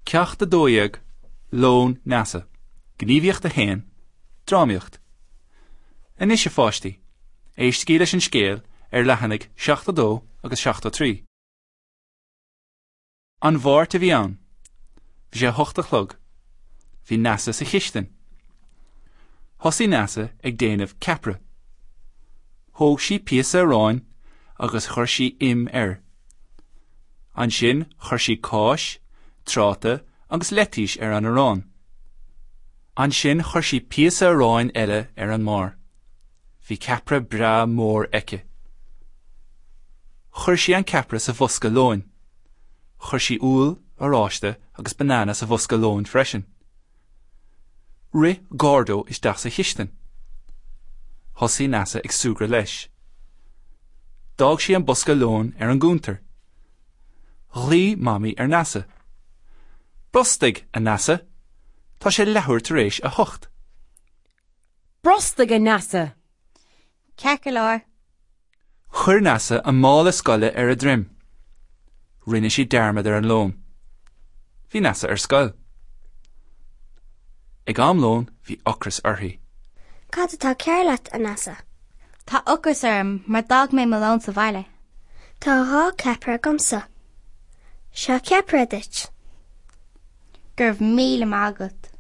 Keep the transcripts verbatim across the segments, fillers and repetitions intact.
Ceacht a dó dhéag, Lón Neasa. Gníomhaíocht a haon, Drámaíocht. Anois a pháistí, éistigí leis an scéal ar leathanaigh seachtó dó agus seachtó trí. An Mháirt a bhí ann. Bhí sé a hocht a chlog. Bhí Neasa sa chistin. Thosaigh Neasa ag déanamh ceapaire. Thóg sí píosa aráin agus chuir sí im air. Ansin chuir sí cáis, tráta agus leitís ar an arán. Ansin chuir sí píosa aráin eile ar an mbarr. Bhí ceapaire breá mór aici. Chuir sí an ceapaire sa bhosca lóin. Chuir sí úll, oráiste agus banana sa bhosca lóin freisin. Rith Gordo isteach sa chistin. Thosaigh Neasa ag súgradh leis. D'fhág sí an bosca lóin ar an gcuntar. Ghlaoigh Mamaí ar Neasa. Brostaigh, a Neasa! Tá sé leathuair tar éis a hocht. Brostaigh, a Neasa! Ceart go leor. Chuir Neasa a mála scoile ar a droim. Rinne sí dearmad ar an lón. Bhí Neasa ar scoil. Ag am lóin bhí ocras uirthi. Cad atá cearr leat, a Neasa? Tá ocras orm mar d'fhág mé mo lón sa bhaile. Tá dhá ceapaire agamsa. Seo ceapaire duit. Go raibh míle maith agat.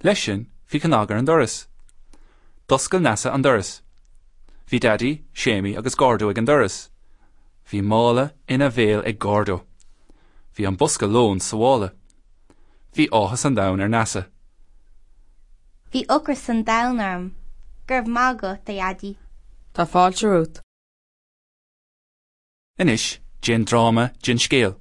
Leis sin bhí cnag ar an doras. D'oscail Neasa an doras. Bhí Daidí, Séimí agus Gordo ag an doras. Bhí mála ina bhéal ag Gordo. Bhí an bosca lóin sa mhála. Bhí áthas an domhain ar Neasa. Bhí ocras an domhain orm. Go raibh maith agat, a Dhaidí. Tá fáilte romhat. Anois déan dráma den scéal.